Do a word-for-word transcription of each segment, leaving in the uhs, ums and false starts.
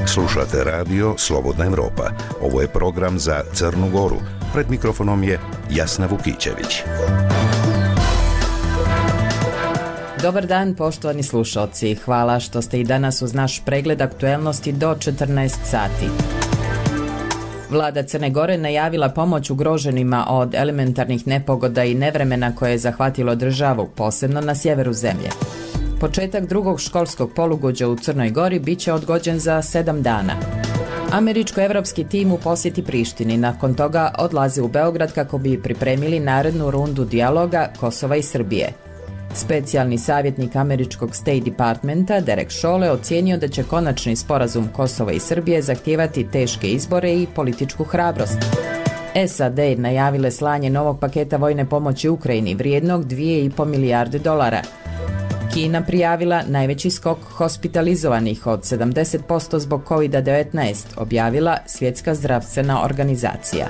Slušate radio Slobodna Evropa. Ovo je program za Crnu Goru. Pred mikrofonom je Jasna Vukićević. Dobar dan, poštovani slušalci. Hvala što ste i danas uz naš pregled aktuelnosti do četrnaest sati. Vlada Crne Gore najavila pomoć ugroženima od elementarnih nepogoda i nevremena koje je zahvatilo državu, posebno na sjeveru zemlje. Početak drugog školskog polugođa u Crnoj Gori bit će odgođen za sedam dana. Američko-evropski tim u posjeti Prištini, nakon toga odlazi u Beograd kako bi pripremili narednu rundu dijaloga Kosova i Srbije. Specijalni savjetnik američkog State Departmenta Derek Chollet ocijenio da će konačni sporazum Kosova i Srbije zahtijevati teške izbore i političku hrabrost. S A D najavile slanje novog paketa vojne pomoći Ukrajini vrijednog dvije i pol milijarde dolara. Kina prijavila najveći skok hospitalizovanih od sedamdeset posto zbog kovid devetnaest, objavila Svjetska zdravstvena organizacija.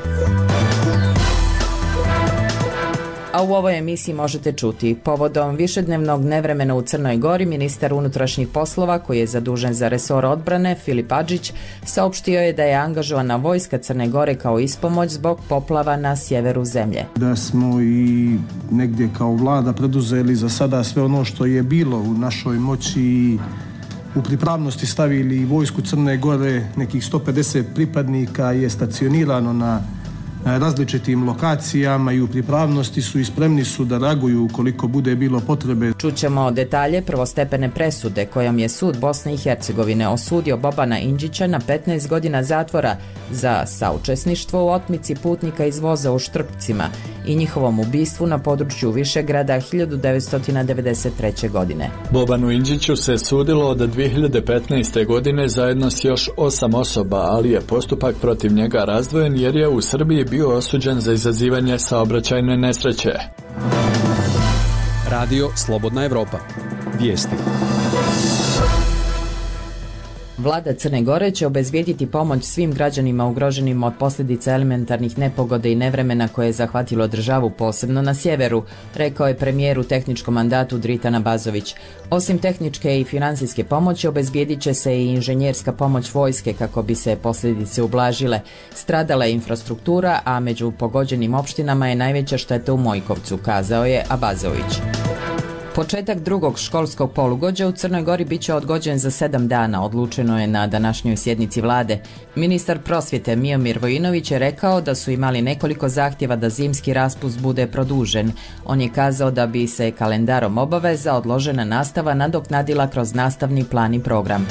A u ovoj emisiji možete čuti, povodom višednevnog nevremena u Crnoj Gori, ministar unutrašnjih poslova koji je zadužen za resor odbrane, Filip Adžić, saopštio je da je angažovana vojska Crne Gore kao ispomoć zbog poplava na sjeveru zemlje. Da smo i negdje kao vlada preduzeli za sada sve ono što je bilo u našoj moći i u pripravnosti stavili vojsku Crne Gore, nekih sto pedeset pripadnika je stacionirano na različitim lokacijama i u pripravnosti su i spremni su da reaguju ukoliko bude bilo potrebe. Čućemo detalje prvostepene presude kojom je sud Bosne i Hercegovine osudio Bobana Indžića na petnaest godina zatvora za saučesništvo u otmici putnika iz voza u Štrpcima i njihovom ubistvu na području Višegrada hiljadu devetsto devedeset treće. godine. Bobanu Indžiću se sudilo od dvije hiljade petnaeste. godine zajedno s još osam osoba, ali je postupak protiv njega razdvojen jer je u Srbiji bio osuđen za izazivanje saobraćajne nesreće. Radio Slobodna Evropa. Vijesti. Vlada Crne Gore će obezbijediti pomoć svim građanima ugroženim od posljedica elementarnih nepogoda i nevremena koje je zahvatilo državu, posebno na sjeveru, rekao je premijer u tehničkom mandatu Dritan Abazović. Osim tehničke i financijske pomoći, obezbijedit će se i inženjerska pomoć vojske kako bi se posljedice ublažile. Stradala je infrastruktura, a među pogođenim opštinama je najveća šteta u Mojkovcu, kazao je Abazović. Početak drugog školskog polugođa u Crnoj Gori bit će odgođen za sedam dana, odlučeno je na današnjoj sjednici vlade. Ministar prosvjete Miomir Vojinović je rekao da su imali nekoliko zahtjeva da zimski raspust bude produžen. On je kazao da bi se kalendarom obaveza odložena nastava nadoknadila kroz nastavni plan i program.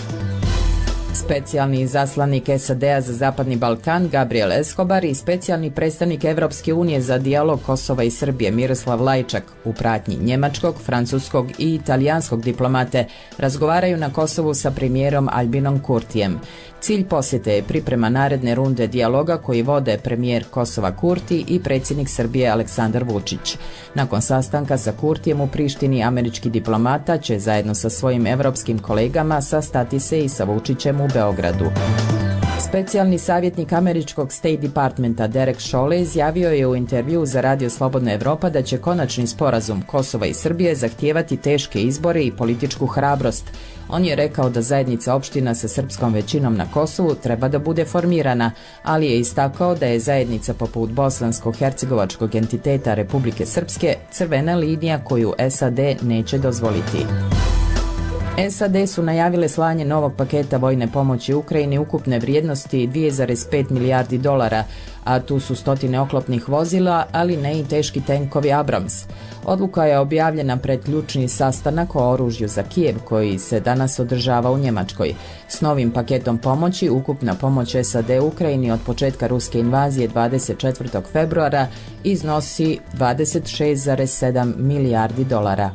Specijalni izaslanik S A D-a za Zapadni Balkan Gabriel Escobar i specijalni predstavnik Evropske unije za dijalog Kosova i Srbije Miroslav Lajčak u pratnji njemačkog, francuskog i italijanskog diplomate razgovaraju na Kosovu sa premijerom Albinom Kurtijem. Cilj posjete je priprema naredne runde dijaloga koji vode premijer Kosova Kurti i predsjednik Srbije Aleksandar Vučić. Nakon sastanka sa Kurtijem u Prištini, američki diplomata će zajedno sa svojim evropskim kolegama sastati se i sa Vučićem u Beogradu. Specijalni savjetnik američkog State Departmenta Derek Chollet izjavio je u intervjuu za Radio Slobodna Evropa da će konačni sporazum Kosova i Srbije zahtijevati teške izbore i političku hrabrost. On je rekao da zajednica opština sa srpskom većinom na Kosovu treba da bude formirana, ali je istakao da je zajednica poput bosansko-hercegovačkog entiteta Republike Srpske crvena linija koju S A D neće dozvoliti. S A D su najavile slanje novog paketa vojne pomoći Ukrajini ukupne vrijednosti dvije zarez pet milijardi dolara, a tu su stotine oklopnih vozila, ali ne i teški tenkovi Abrams. Odluka je objavljena pred ključni sastanak o oružju za Kijev koji se danas održava u Njemačkoj. S novim paketom pomoći ukupna pomoć S A D Ukrajini od početka ruske invazije dvadeset četvrtog februara iznosi dvadeset šest zarez sedam milijardi dolara.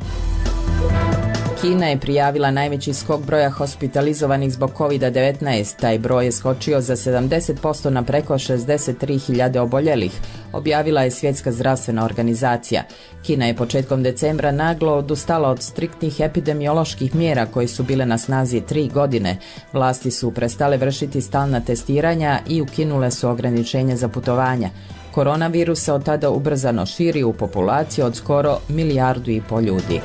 Kina je prijavila najveći skok broja hospitalizovanih zbog kovid devetnaest. Taj broj je skočio za sedamdeset posto na preko šezdeset tri hiljade oboljelih, objavila je Svjetska zdravstvena organizacija. Kina je početkom decembra naglo odustala od striktnih epidemioloških mjera koje su bile na snazi tri godine. Vlasti su prestale vršiti stalna testiranja i ukinule su ograničenja za putovanja. Koronavirus se od tada ubrzano širi u populaciju od skoro milijardu i pol ljudi.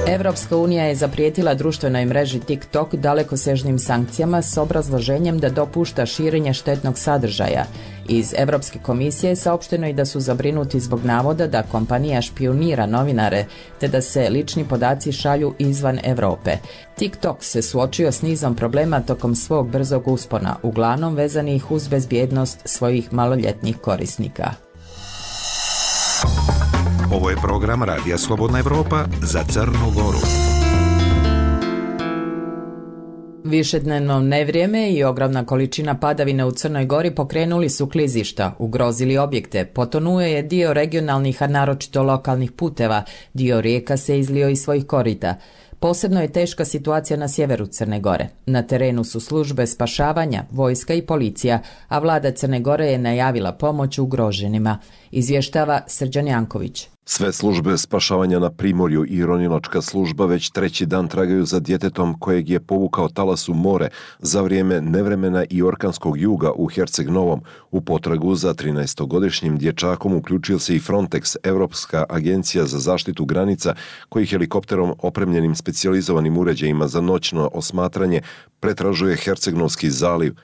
Evropska unija je zaprijetila društvenoj mreži TikTok dalekosežnim sankcijama s obrazloženjem da dopušta širenje štetnog sadržaja. Iz Evropske komisije saopšteno je da su zabrinuti zbog navoda da kompanija špijunira novinare te da se lični podaci šalju izvan Europe. TikTok se suočio s nizom problema tokom svog brzog uspona, uglavnom vezanih uz bezbjednost svojih maloljetnih korisnika. Ovo je program Radija Slobodna Evropa za Crnu Goru. Višednevno nevrijeme i ogromna količina padavine u Crnoj Gori pokrenuli su klizišta, ugrozili objekte, potonuo je dio regionalnih, a naročito lokalnih puteva, dio rijeka se izlio iz svojih korita. Posebno je teška situacija na sjeveru Crne Gore. Na terenu su službe spašavanja, vojska i policija, a vlada Crne Gore je najavila pomoć ugroženima. Izvještava Srđan Janković. Sve službe spašavanja na Primorju i ronilačka služba već treći dan tragaju za djetetom kojeg je povukao talas u more za vrijeme nevremena i orkanskog juga u Herceg Novom. U potragu za trinaestogodišnjim dječakom uključio se i Frontex, Evropska agencija za zaštitu granica, koji helikopterom opremljenim specijalizovanim uređajima za noćno osmatranje pretražuje Hercegnovski zaliv.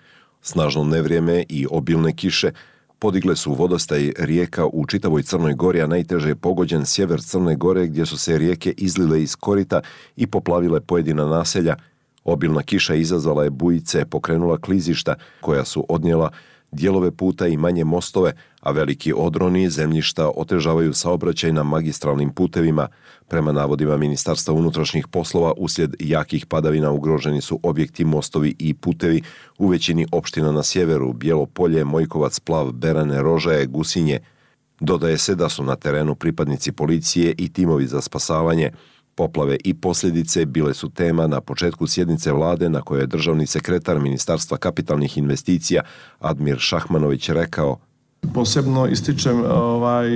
Snažno nevrijeme i obilne kiše podigle su vodostaj rijeka u čitavoj Crnoj Gori, a najteže je pogođen sjever Crne Gore gdje su se rijeke izlile iz korita i poplavile pojedina naselja. Obilna kiša izazvala je bujice, pokrenula klizišta koja su odnijela dijelove puta i manje mostove, a veliki odroni zemljišta otežavaju saobraćaj na magistralnim putevima. Prema navodima Ministarstva unutrašnjih poslova, uslijed jakih padavina ugroženi su objekti, mostovi i putevi u većini opština na sjeveru: Bijelo Polje, Mojkovac, Plav, Berane, Rožaje, Gusinje. Dodaje se da su na terenu pripadnici policije i timovi za spasavanje. Poplave i posljedice bile su tema na početku sjednice vlade na kojoj je državni sekretar Ministarstva kapitalnih investicija Admir Šahmanović rekao: Posebno ističem ovaj,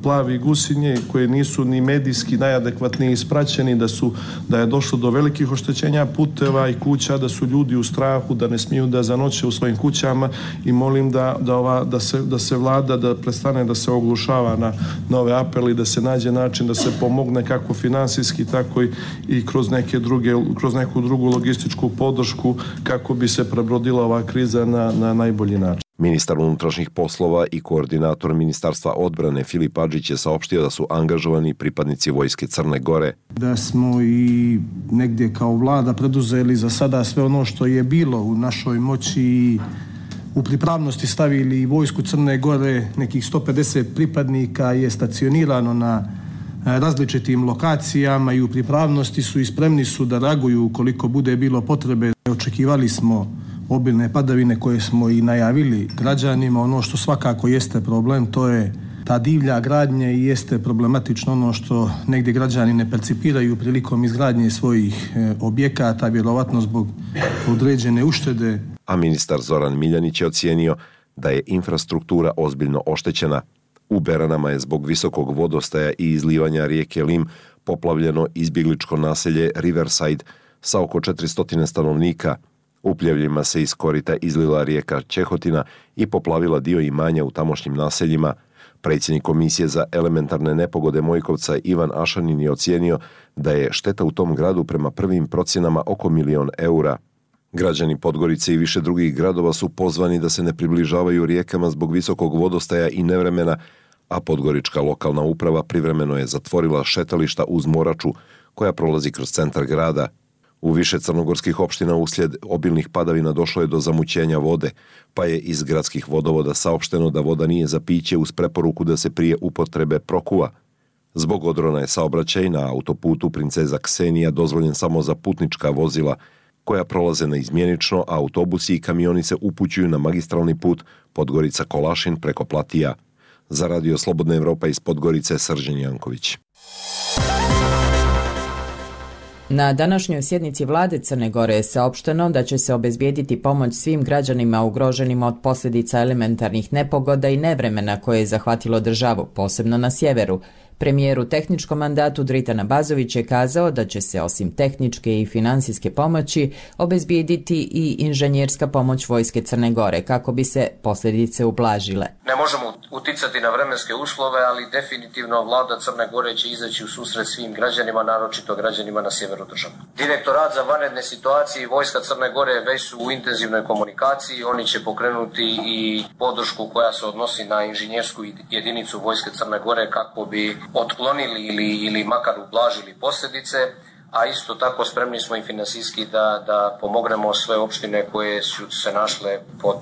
Plavi, Gusinje, koje nisu ni medijski najadekvatnije ispraćeni, da, su, da je došlo do velikih oštećenja puteva i kuća, da su ljudi u strahu, da ne smiju da zanoće u svojim kućama, i molim da, da, ova, da, se, da se vlada da prestane da se oglušava na nove apeli, da se nađe način da se pomogne kako finansijski, tako i, i kroz, neke druge, kroz neku drugu logističku podršku kako bi se prebrodila ova kriza na, na najbolji način. Ministar unutrašnjih poslova i koordinator Ministarstva odbrane Filip Adžić je saopštio da su angažovani pripadnici vojske Crne Gore. Da smo i negdje kao vlada preduzeli za sada sve ono što je bilo u našoj moći i u pripravnosti stavili vojsku Crne Gore. Nekih sto pedeset pripadnika je stacionirano na različitim lokacijama i u pripravnosti su i spremni su da reaguju ukoliko bude bilo potrebe. Očekivali smo obilne padavine koje smo i najavili građanima. Ono što svakako jeste problem, to je ta divlja gradnja, i jeste problematično ono što negdje građani ne percipiraju prilikom izgradnje svojih objekata, vjerovatno zbog određene uštede. A ministar Zoran Miljanić je ocijenio da je infrastruktura ozbiljno oštećena. U Beranama je zbog visokog vodostaja i izlivanja rijeke Lim poplavljeno izbjegličko naselje Riverside sa oko četiristo stanovnika. U pljevljima se iz korita izlila rijeka Čehotina i poplavila dio imanja u tamošnjim naseljima. Predsjednik Komisije za elementarne nepogode Mojkovca Ivan Ašanin je ocijenio da je šteta u tom gradu prema prvim procjenama oko milion eura. Građani Podgorice i više drugih gradova su pozvani da se ne približavaju rijekama zbog visokog vodostaja i nevremena, a podgorička lokalna uprava privremeno je zatvorila šetališta uz Moraču koja prolazi kroz centar grada. U više crnogorskih opština uslijed obilnih padavina došlo je do zamućenja vode, pa je iz gradskih vodovoda saopšteno da voda nije za piće uz preporuku da se prije upotrebe prokuva. Zbog odrona je saobraćaj na autoputu Princeza Ksenija dozvoljen samo za putnička vozila koja prolaze naizmjenično, a autobusi i kamioni se upućuju na magistralni put Podgorica-Kolašin preko Platija. Za Radio Slobodna Evropa iz Podgorice, Srđan Janković. Na današnjoj sjednici vlade Crne Gore je saopšteno da će se obezbijediti pomoć svim građanima ugroženima od posljedica elementarnih nepogoda i nevremena koje je zahvatilo državu, posebno na sjeveru. Premijer u tehničkom mandatu Dritan Abazović je kazao da će se osim tehničke i finansijske pomoći obezbijediti i inženjerska pomoć Vojske Crne Gore kako bi se posljedice ublažile. Ne možemo uticati na vremenske uslove, ali definitivno vlada Crne Gore će izaći u susret svim građanima, naročito građanima na sjeveru države. Direktorat za vanredne situacije i Vojska Crne Gore već su u intenzivnoj komunikaciji. Oni će pokrenuti i podršku koja se odnosi na inženjersku jedinicu Vojske Crne Gore kako bi otklonili ili, ili makar ublažili posljedice, a isto tako spremni smo i finansijski da, da pomognemo sve opštine koje su se našle pod,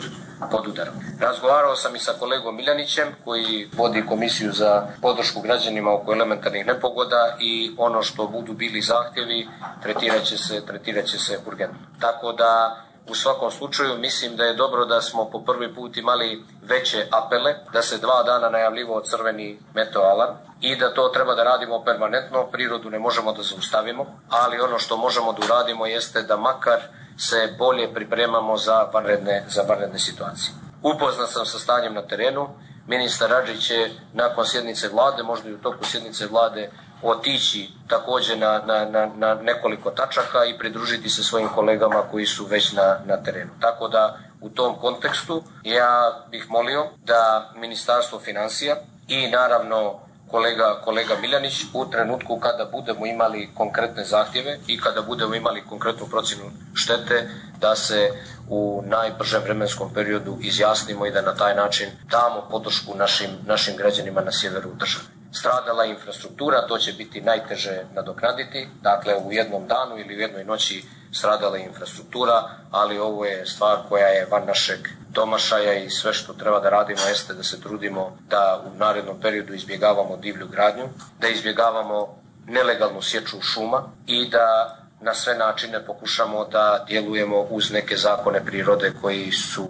pod udarom. Razgovarao sam i sa kolegom Miljanićem koji vodi komisiju za podršku građanima oko elementarnih nepogoda i ono što budu bili zahtjevi tretirat će se, tretirat će se urgentno. Tako da u svakom slučaju mislim da je dobro da smo po prvi put imali veće apele, da se dva dana najavljivao crveni meteo alarm i da to treba da radimo permanentno. Prirodu ne možemo da zaustavimo, ali ono što možemo da uradimo jeste da makar se bolje pripremamo za vanredne, za vanredne situacije. Upoznat sam sa stanjem na terenu. Ministar Adžić će nakon sjednice vlade, možda i u toku sjednice vlade, otići također na, na, na, na nekoliko tačaka i pridružiti se svojim kolegama koji su već na, na terenu. Tako da u tom kontekstu ja bih molio da Ministarstvo financija i naravno kolega, kolega Miljanić u trenutku kada budemo imali konkretne zahtjeve i kada budemo imali konkretnu procjenu štete, da se u najbržem vremenskom periodu izjasnimo i da na taj način damo podršku našim, našim građanima na sjeveru države. Stradala infrastruktura, to će biti najteže nadoknaditi, dakle u jednom danu ili u jednoj noći stradala infrastruktura, ali ovo je stvar koja je van našeg domašaja i sve što treba da radimo jeste da se trudimo da u narednom periodu izbjegavamo divlju gradnju, da izbjegavamo nelegalnu sječu šuma i da na sve načine pokušamo da djelujemo uz neke zakone prirode koji su,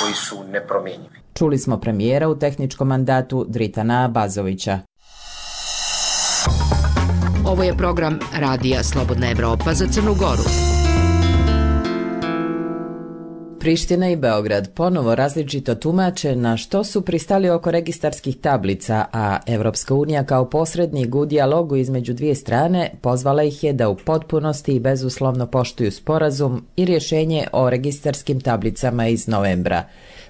koji su nepromjenjivi. Čuli smo premijera u tehničkom mandatu Dritana Abazovića. Ovo je program Radija Slobodna Evropa za Crnu Goru. Priština i Beograd ponovo različito tumače na što su pristali oko registarskih tablica, a Evropska unija kao posrednik u dijalogu između dvije strane pozvala ih je da u potpunosti i bezuslovno poštuju sporazum i rješenje o registarskim tablicama iz novembra.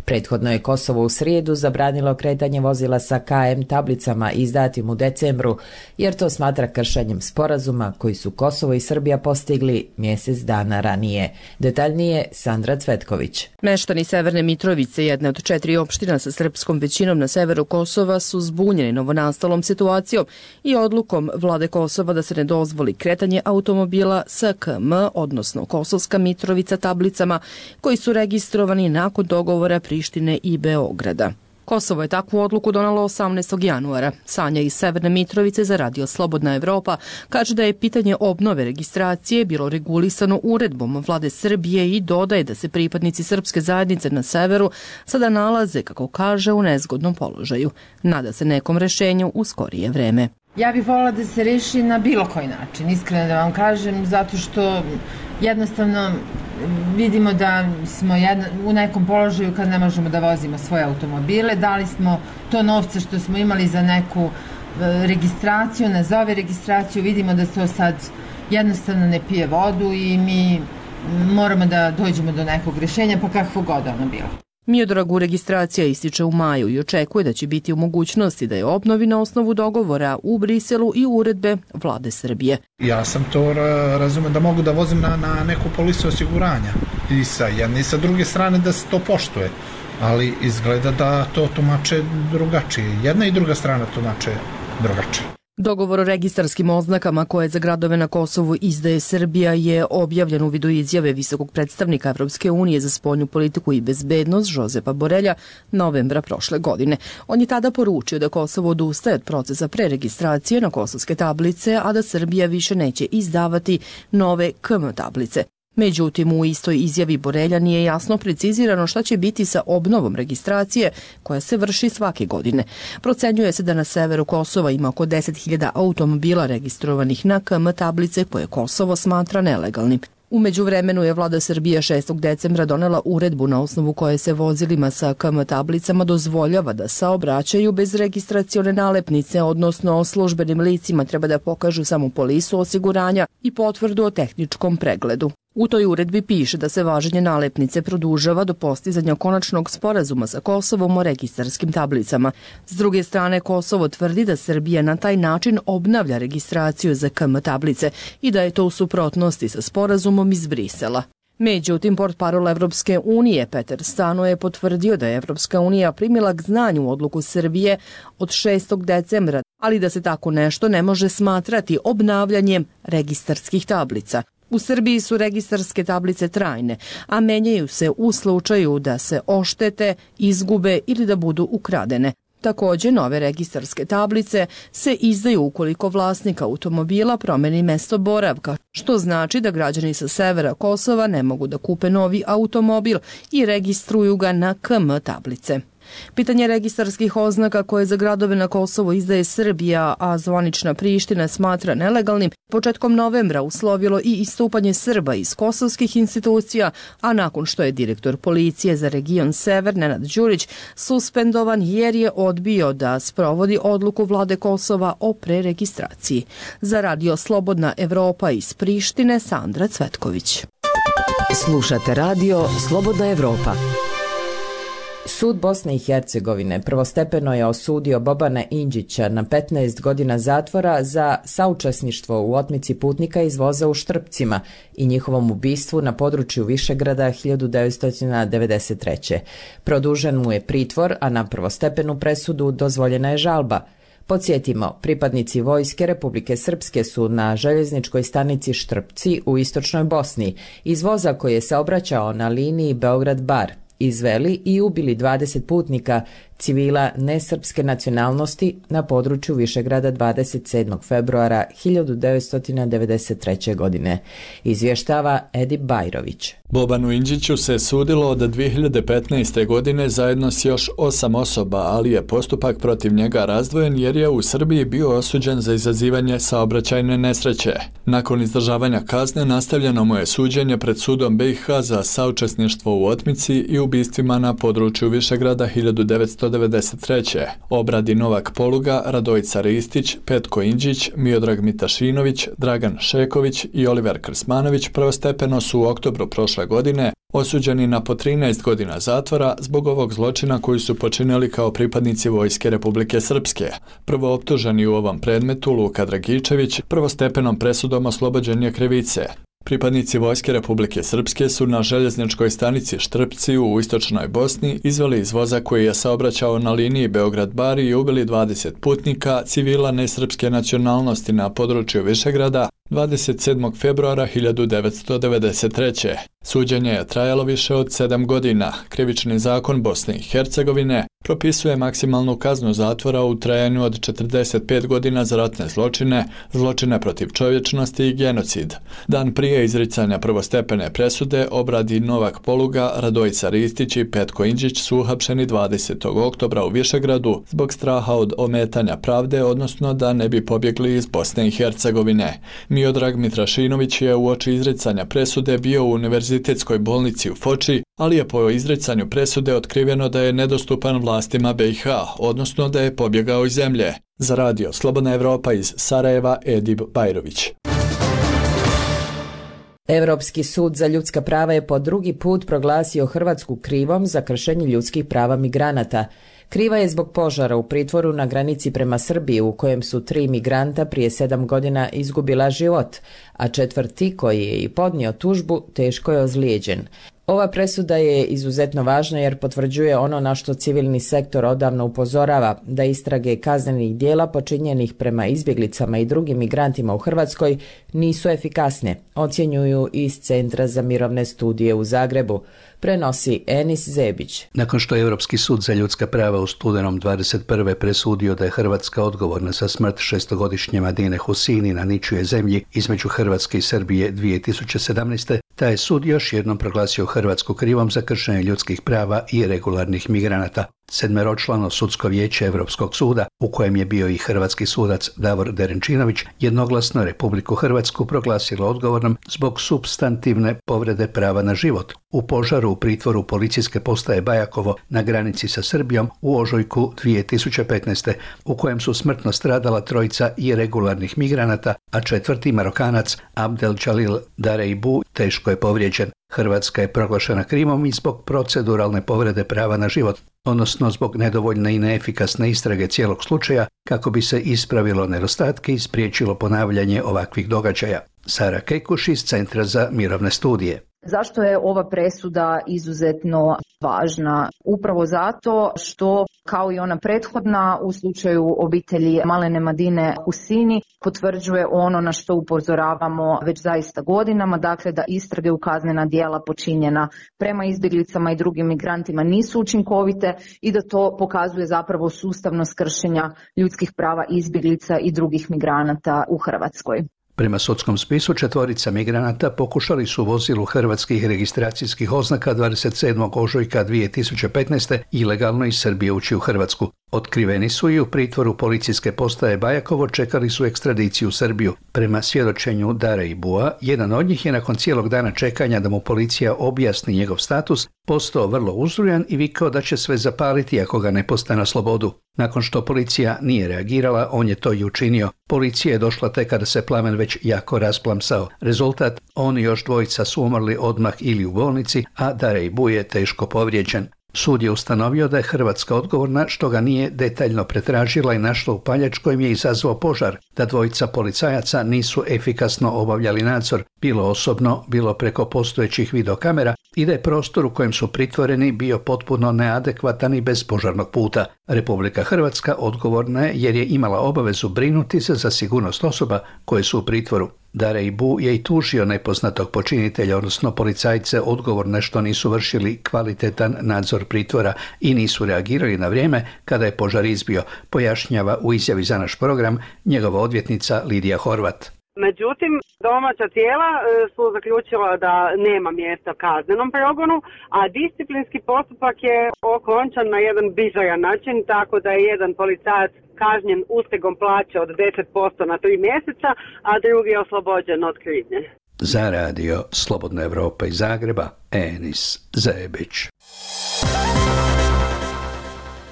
Prethodno je Kosovo u srijedu zabranilo kretanje vozila sa K M tablicama izdatim u decembru, jer to smatra kršenjem sporazuma koji su Kosovo i Srbija postigli mjesec dana ranije. Detaljnije Sandra Cvetković. Meštani Severne Mitrovice, jedne od četiri opština sa srpskom većinom na severu Kosova, su zbunjeni novonastalom situacijom i odlukom vlade Kosova da se ne dozvoli kretanje automobila sa K M, odnosno Kosovska Mitrovica tablicama, koji su registrovani nakon dogovora Prištine i Beograda. Kosovo je takvu odluku donalo osamnaestog januara. Sanja iz Severne Mitrovice za Radio Slobodna Evropa kaže da je pitanje obnove registracije bilo regulisano uredbom vlade Srbije i dodaje da se pripadnici srpske zajednice na severu sada nalaze, kako kaže, u nezgodnom položaju. Nada se nekom rešenju u skorije vreme. Ja bih voljela da se reši na bilo koji način, iskreno da vam kažem, zato što jednostavno vidimo da smo jedno, u nekom položaju kad ne možemo da vozimo svoje automobile. Dali smo to novce što smo imali za neku e, registraciju, nazove registraciju, vidimo da to sad jednostavno ne pije vodu i mi moramo da dođemo do nekog rješenja, pa kakvo god ono bilo. Miodragu registracija ističe u maju i očekuje da će biti u mogućnosti da je obnovi na osnovu dogovora u Briselu i uredbe vlade Srbije. Ja sam to razumem da mogu da vozim na, na neku polisu osiguranja i sa jedne i sa druge strane da se to poštuje, ali izgleda da to tumače drugačije. Jedna i druga strana tumače drugačije. Dogovor o registarskim oznakama koje za gradove na Kosovu izdaje Srbija je objavljen u vidu izjave visokog predstavnika Evropske unije za spoljnu politiku i bezbednost Žozepa Borelja novembra prošle godine. On je tada poručio da Kosovo odustaje od procesa preregistracije na kosovske tablice, a da Srbija više neće izdavati nove K M tablice. Međutim, u istoj izjavi Borelja nije jasno precizirano šta će biti sa obnovom registracije koja se vrši svake godine. Procenjuje se da na severu Kosova ima oko deset hiljada automobila registrovanih na K M tablice koje Kosovo smatra nelegalnim. U međuvremenu je vlada Srbije šestog decembra donela uredbu na osnovu koje se vozilima sa K M tablicama dozvoljava da saobraćaju bez registracione nalepnice, odnosno službenim licima treba da pokažu samo polisu osiguranja i potvrdu o tehničkom pregledu. U toj uredbi piše da se važenje nalepnice produžava do postizanja konačnog sporazuma sa Kosovom o registarskim tablicama. S druge strane, Kosovo tvrdi da Srbija na taj način obnavlja registraciju za K M tablice i da je to u suprotnosti sa sporazumom iz Brisela. Međutim, portparol Evropske unije Peter Stano je potvrdio da je Evropska unija primila k znanju odluku Srbije od šestog decembra, ali da se tako nešto ne može smatrati obnavljanjem registarskih tablica. U Srbiji su registarske tablice trajne, a menjaju se u slučaju da se oštete, izgube ili da budu ukradene. Također, nove registarske tablice se izdaju ukoliko vlasnik automobila promeni mesto boravka, što znači da građani sa severa Kosova ne mogu da kupe novi automobil i registruju ga na K M tablice. Pitanje registarskih oznaka koje za gradove na Kosovo izdaje Srbija, a zvanična Priština smatra nelegalnim, početkom novembra uslovilo i istupanje Srba iz kosovskih institucija, a nakon što je direktor policije za region Sever, Nenad Đurić, suspendovan jer je odbio da sprovodi odluku vlade Kosova o preregistraciji. Za radio Slobodna Evropa iz Prištine, Sandra Cvetković. Slušate radio Slobodna Evropa. Sud Bosne i Hercegovine prvostepeno je osudio Bobana Inđića na petnaest godina zatvora za saučesništvo u otmici putnika iz voza u Štrpcima i njihovom ubistvu na području Višegrada hiljadu devetsto devedeset treće. Produžen mu je pritvor, a na prvostepenu presudu dozvoljena je žalba. Podsjetimo, pripadnici vojske Republike Srpske su na željezničkoj stanici Štrpci u istočnoj Bosni iz voza koji je saobraćao na liniji Beograd-Bar izveli i ubili dvadeset putnika civila nesrpske nacionalnosti na području Višegrada dvadeset sedmog februara hiljadu devetsto devedeset treće. godine. Izvještava Edip Bajrović. Bobanu Inđiću se sudilo od dvije hiljade petnaeste. godine zajedno s još osam osoba, ali je postupak protiv njega razdvojen jer je u Srbiji bio osuđen za izazivanje saobraćajne nesreće. Nakon izdržavanja kazne nastavljeno mu je suđenje pred sudom B i H za saučesništvo u otmici i ubistvima na području Višegrada hiljadu devetsto devedeset treće. Obradi Novak Poluga, Radojica Ristić, Petko Inđić, Miodrag Mitašinović, Dragan Šeković i Oliver Krsmanović prvostepeno su u oktobru prošle godine osuđeni na po trinaest godina zatvora zbog ovog zločina koji su počinili kao pripadnici vojske Republike Srpske. Prvo optuženi u ovom predmetu, Luka Dragičević, prvostepenom presudom oslobođen je krivice. Pripadnici vojske Republike Srpske su na željezničkoj stanici Štrpci u istočnoj Bosni izveli iz voza koji je saobraćao na liniji Beograd-Bar i ubili dvadeset putnika civila nesrpske nacionalnosti na području Višegrada dvadeset sedmog februara hiljadu devetsto devedeset treće. Suđenje je trajalo više od sedam godina. Krivični zakon Bosne i Hercegovine propisuje maksimalnu kaznu zatvora u trajanju od četrdeset pet godina za ratne zločine, zločine protiv čovječnosti i genocid. Dan prije izricanja prvostepene presude obradi Novak Poluga, Radojica Ristić i Petko Inđić su uhapšeni dvadesetog oktobra u Višegradu zbog straha od ometanja pravde, odnosno da ne bi pobjegli iz Bosne i Hercegovine. Miodrag Mitrašinović je uoči izricanja presude bio u univerzitetskoj bolnici u Foči, ali je po izricanju presude otkriveno da je nedostupan vlastima B i H, odnosno da je pobjegao iz zemlje. Za radio Slobodna Evropa iz Sarajeva, Edip Bajrović. Europski sud za ljudska prava je po drugi put proglasio Hrvatsku krivom za kršenje ljudskih prava migranata. Kriva je zbog požara u pritvoru na granici prema Srbiji u kojem su tri migranta prije sedam godina izgubila život, a četvrti koji je i podnio tužbu teško je ozlijeđen. Ova presuda je izuzetno važna jer potvrđuje ono na što civilni sektor odavno upozorava, da istrage kaznenih dijela počinjenih prema izbjeglicama i drugim migrantima u Hrvatskoj nisu efikasne, ocjenjuju iz Centra za mirovne studije u Zagrebu. Prenosi Enis Zebić. Nakon što je Europski sud za ljudska prava u studenom dvadeset prve presudio da je Hrvatska odgovorna za smrt šestogodišnje Madine Husini na ničijoj zemlji između Hrvatske i Srbije dvije tisuće sedamnaeste. taj je sud još jednom proglasio Hrvatsku krivom za kršenje ljudskih prava i regularnih migranata. Sedmeročlano sudsko vijeće Europskog suda, u kojem je bio i hrvatski sudac Davor Derenčinović, jednoglasno Republiku Hrvatsku proglasilo odgovornom zbog supstantivne povrede prava na život u požaru u pritvoru policijske postaje Bajakovo na granici sa Srbijom u ožujku dvije tisuće petnaeste. u kojem su smrtno stradala trojica irregularnih migranata, a četvrti Marokanac Abdel Jalil Dareibu teško je povrijeđen. Hrvatska je proglašena krivom i zbog proceduralne povrede prava na život, odnosno zbog nedovoljne i neefikasne istrage cijelog slučaja kako bi se ispravilo nedostatke i spriječilo ponavljanje ovakvih događaja. Sara Kekuš iz Centra za mirovne studije. Zašto je ova presuda izuzetno važna? Upravo zato što, kao i ona prethodna u slučaju obitelji Malene Madine Husini, potvrđuje ono na što upozoravamo već zaista godinama, dakle da istrage u kaznena djela počinjena prema izbjeglicama i drugim migrantima nisu učinkovite i da to pokazuje zapravo sustavnost kršenja ljudskih prava izbjeglica i drugih migranata u Hrvatskoj. Prema sudskom spisu četvorica migranata pokušali su vozilu hrvatskih registracijskih oznaka dvadeset sedmog ožujka dvije tisuće petnaeste. ilegalno iz Srbije ući u Hrvatsku. Otkriveni su i u pritvoru policijske postaje Bajakovo, čekali su ekstradiciju u Srbiju. Prema svjedočenju Dareibua, jedan od njih je nakon cijelog dana čekanja da mu policija objasni njegov status, postao vrlo uzrujan i vikao da će sve zapaliti ako ga ne puste na slobodu. Nakon što policija nije reagirala, on je to i učinio. Policija je došla tek kada se plamen već jako rasplamsao. Rezultat, on i još dvojica su umrli odmah ili u bolnici, a Dareibu je teško povrijeđen. Sud je ustanovio da je Hrvatska odgovorna što ga nije detaljno pretražila i našla upaljač kojim je izazvao požar, da dvojica policajaca nisu efikasno obavljali nadzor, bilo osobno, bilo preko postojećih videokamera, i da je prostor u kojem su pritvoreni bio potpuno neadekvatan i bez požarnog puta. Republika Hrvatska odgovorna je jer je imala obavezu brinuti se za sigurnost osoba koje su u pritvoru. Dareibu je i tužio nepoznatog počinitelja, odnosno policajce odgovorne što nisu vršili kvalitetan nadzor pritvora i nisu reagirali na vrijeme kada je požar izbio, pojašnjava u izjavi za naš program njegova odvjetnica Lidija Horvat. Međutim, domaća tijela su zaključila da nema mjesta kaznenom progonu, a disciplinski postupak je okončan na jedan bizaran način, tako da je jedan policajac kažnjen ustegom plaće od deset posto na tri mjeseca, a drugi je oslobođen od krivnje. Za radio Slobodna Evropa iz Zagreba, Enis Zebić.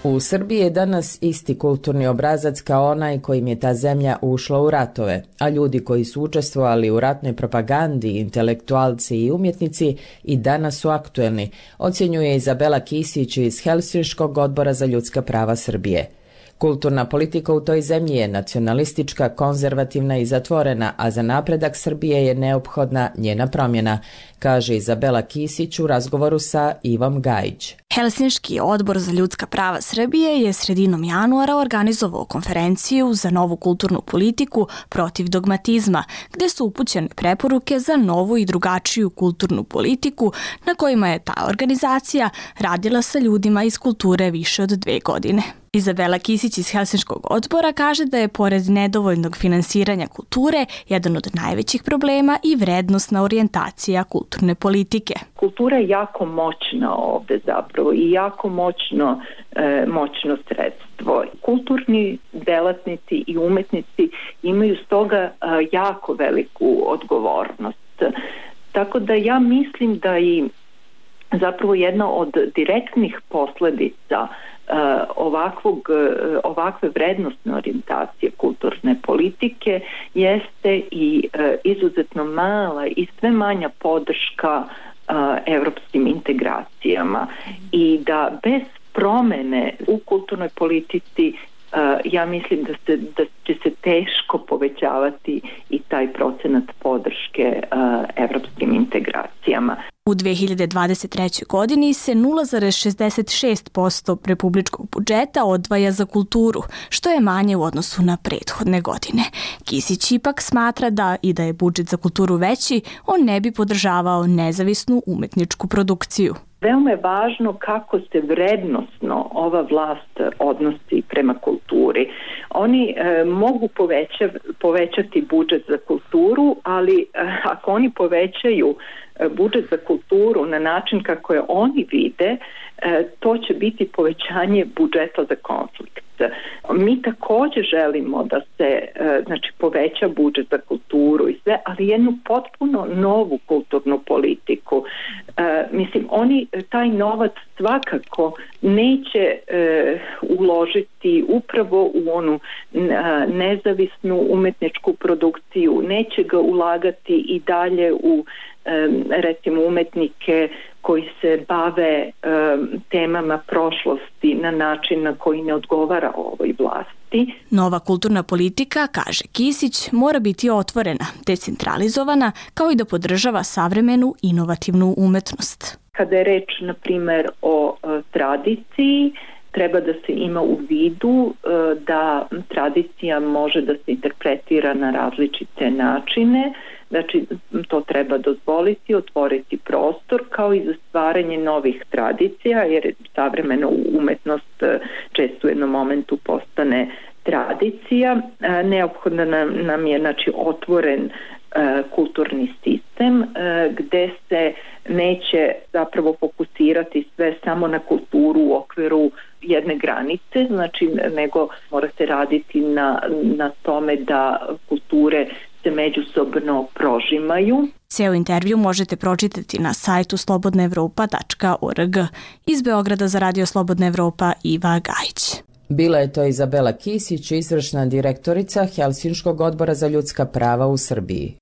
U Srbiji je danas isti kulturni obrazac kao onaj kojim je ta zemlja ušla u ratove, a ljudi koji su učestvovali u ratnoj propagandi, intelektualci i umjetnici i danas su aktuelni, ocjenjuje Izabela Kisić iz Helsinškog odbora za ljudska prava Srbije. Kulturna politika u toj zemlji je nacionalistička, konzervativna i zatvorena, a za napredak Srbije je neophodna njena promjena, kaže Izabela Kisić u razgovoru sa Ivom Gajić. Helsinški odbor za ljudska prava Srbije je sredinom januara organizovao konferenciju za novu kulturnu politiku protiv dogmatizma, gdje su upućene preporuke za novu i drugačiju kulturnu politiku na kojima je ta organizacija radila sa ljudima iz kulture više od dve godine. Izabela Kisić iz Helsinškog odbora kaže da je pored nedovoljnog finansiranja kulture jedan od najvećih problema i vrednostna orijentacija kulturne politike. Kultura je jako moćna ovdje zapravo i jako moćno, e, moćno sredstvo. Kulturni delatnici i umetnici imaju stoga e, jako veliku odgovornost. Tako da ja mislim da i zapravo jedna od direktnih posljedica Uh, ovakvog, uh, ovakve vrednostne orijentacije kulturne politike jeste i uh, izuzetno mala i sve manja podrška uh, evropskim integracijama i da bez promjene u kulturnoj politici uh, ja mislim da, se, da će se teško povećavati i taj procenat podrške uh, evropskim integracijama. U dve hiljade dvadeset trećoj. godini se nula zarez šezdeset šest posto republičkog budžeta odvaja za kulturu, što je manje u odnosu na prethodne godine. Kisić ipak smatra da i da je budžet za kulturu veći, on ne bi podržavao nezavisnu umetničku produkciju. Veoma je važno kako se vrednosno ova vlast odnosi prema kulturi. Oni e, mogu poveća, povećati budžet za kulturu, ali e, ako oni povećaju budžet za kulturu na način kako je oni vide, to će biti povećanje budžeta za konflikt. Mi također želimo da se znači, poveća budžet za kulturu i sve, ali jednu potpuno novu kulturnu politiku. Mislim, oni taj novac svakako neće uložiti upravo u onu nezavisnu umetničku produkciju, neće ga ulagati i dalje u recimo umetnike koji se bave um, temama prošlosti na način na koji ne odgovara ovoj vlasti. Nova kulturna politika, kaže Kisić, mora biti otvorena, decentralizovana, kao i da podržava savremenu inovativnu umetnost. Kada je reč, na primjer, o uh, tradiciji, treba da se ima u vidu uh, da tradicija može da se interpretira na različite načine. Znači, to treba dozvoliti, otvoriti prostor kao i za stvaranje novih tradicija, jer savremena umetnost često u jednom momentu postane tradicija. Neophodno nam, nam je znači, otvoren kulturni sistem gde se neće zapravo fokusirati sve samo na kulturu u okviru jedne granice, znači nego mora se raditi na, na tome da kulture se međusobno prožimaju. Ceo intervju možete pročitati na sajtu slobodna evropa tačka org. Iz Beograda za Radio Slobodna Evropa Iva Gajić. Bila je to Izabela Kisić, izvršna direktorica Helsinškog odbora za ljudska prava u Srbiji.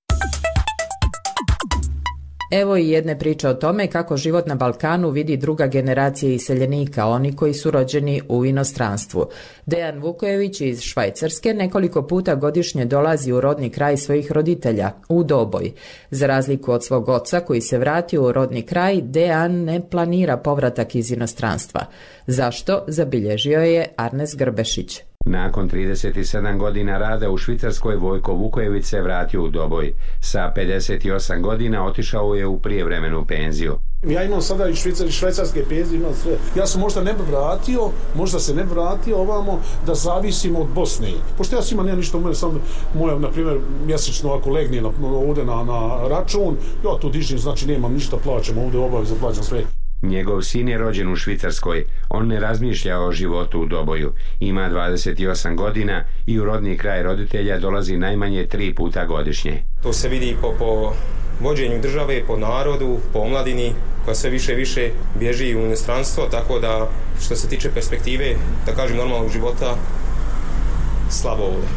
Evo i jedne priče o tome kako život na Balkanu vidi druga generacija iseljenika, oni koji su rođeni u inostranstvu. Dejan Vukojević iz Švajcarske nekoliko puta godišnje dolazi u rodni kraj svojih roditelja, u Doboj. Za razliku od svog oca koji se vratio u rodni kraj, Dejan ne planira povratak iz inostranstva. Zašto? Zabilježio je Arnes Grbešić. Nakon trideset sedam godina rada u Švicarskoj, Vojko Vukojević se vratio u Doboj. Sa pedeset osam godina otišao je u prijevremenu penziju. Ja imam sada i švicar, švajcarske penzije, imam sve. Ja sam možda ne bi vratio, možda se ne bi vratio ovamo da zavisimo od Bosne. Pošto ja sam imam, nema ništa, umre sam moja, na primjer, mjesečno ako legne na, ovdje na, na račun, ja tu dižim, znači nemam ništa, plaćam ovdje, obavezno plaćam sve. Njegov sin je rođen u Švicarskoj. On ne razmišlja o životu u Doboju. Ima dvadeset osam godina i u rodni kraj roditelja dolazi najmanje tri puta godišnje. To se vidi po, po vođenju države, po narodu, po omladini koja sve više i više bježi u inostranstvo, tako da što se tiče perspektive, da kažem normalnog života, slabo ovdje.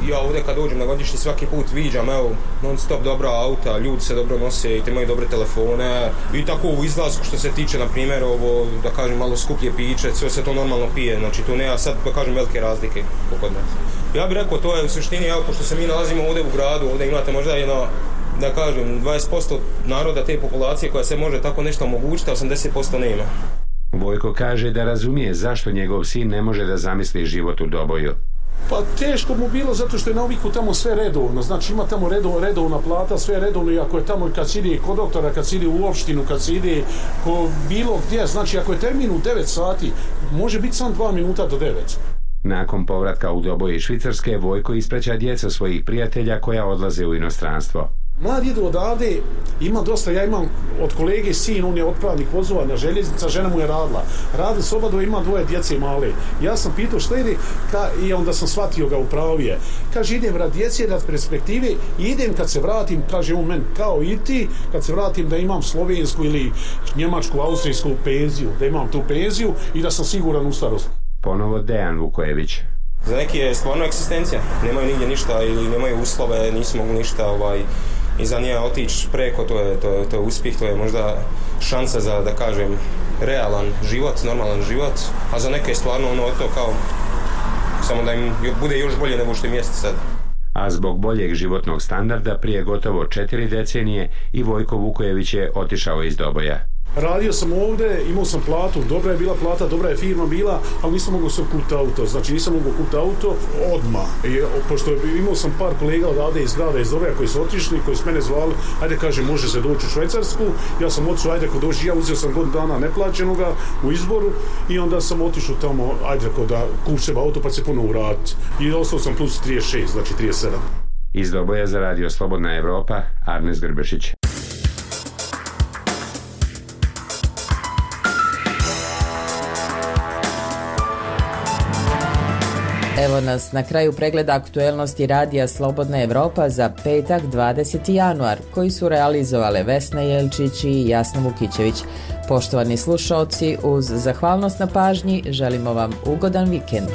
Ja ovdje kad dođem na godišnji svaki put viđam, evo, non stop dobra auta, ljudi se dobro nose, imaju dobre telefone i tako u izlasku što se tiče, na primjer, ovo, da kažem, malo skuplje piće, sve se to normalno pije, znači tu nema sad, da kažem, velike razlike kod nas. Ja bih rekao, to je u suštini, evo, pošto se mi nalazimo ovdje u gradu, ovdje imate možda jedno, da kažem, dvadeset posto naroda te populacije koja se može tako nešto omogućiti, a osamdeset posto nema. Vojko kaže da razumije zašto njegov sin ne može da zamisli život u Doboju. Pa teško mu bilo zato što je na naviku tamo sve redovno, znači ima tamo redov, redovna plata, sve redovno i ako je tamo kad se ide kod doktora, kad se ide u opštinu, kad se ide ko bilo gdje, znači ako je termin u devet sati, može biti sam dva minuta do devet. Nakon povratka u Doboj iz Švicarske, Vojko ispraća djeca svojih prijatelja koja odlaze u inostranstvo. Mladi idu odavde, ima dosta, ja imam od kolege sin, on je otpravnik vozova na željeznica, žena mu je radila. Radi s obadva, ima dvoje djece male. Ja sam pitao šta ide ka, i onda sam shvatio ga upravije. Kaže, idem rad djece, rad perspektive i idem kad se vratim, kaže on meni, kao i ti, kad se vratim da imam slovensku ili njemačku, austrijsku penziju, da imam tu penziju i da sam siguran u starost. Ponovo Dejan Vukojević. Za neki je stvarno egzistencija, nemaju nigdje ništa ili nemaju uslove, nisu mogu ništa ovaj, i za nije otići preko, to je, to, je, to je uspjeh, to je možda šansa za, da kažem, realan život, normalan život, a za neke je stvarno ono to kao, samo da im bude još bolje nego što im jeste sad. A zbog boljeg životnog standarda prije gotovo četiri decenije i Vojko Vukojević je otišao iz Doboja. Radio sam ovdje, imao sam platu, dobra je bila plata, dobra je firma bila, ali nisam mogao sve kupiti auto, znači nisam mogao kupiti auto odmah. I, pošto imao sam par kolega odavde iz grada, iz Doboja koji su otišli, koji su mene zvali, ajde kaže može se doći u Švajcarsku, ja sam otišao, ajde ko doći, ja uzeo sam godinu dana neplaćenoga u izboru i onda sam otišao tamo, ajde ko da kup sebe auto pa se ponovo vratiti. I ostao sam plus trideset šest, znači trideset sedam. Iz Doboja za Radio Slobodna Evropa, Arnes Grbešić. Evo nas na kraju pregleda aktuelnosti radija Slobodna Evropa za petak dvadeseti januar, koji su realizovale Vesna Jelčić i Jasna Vukićević. Poštovani slušaoci, uz zahvalnost na pažnji želimo vam ugodan vikend.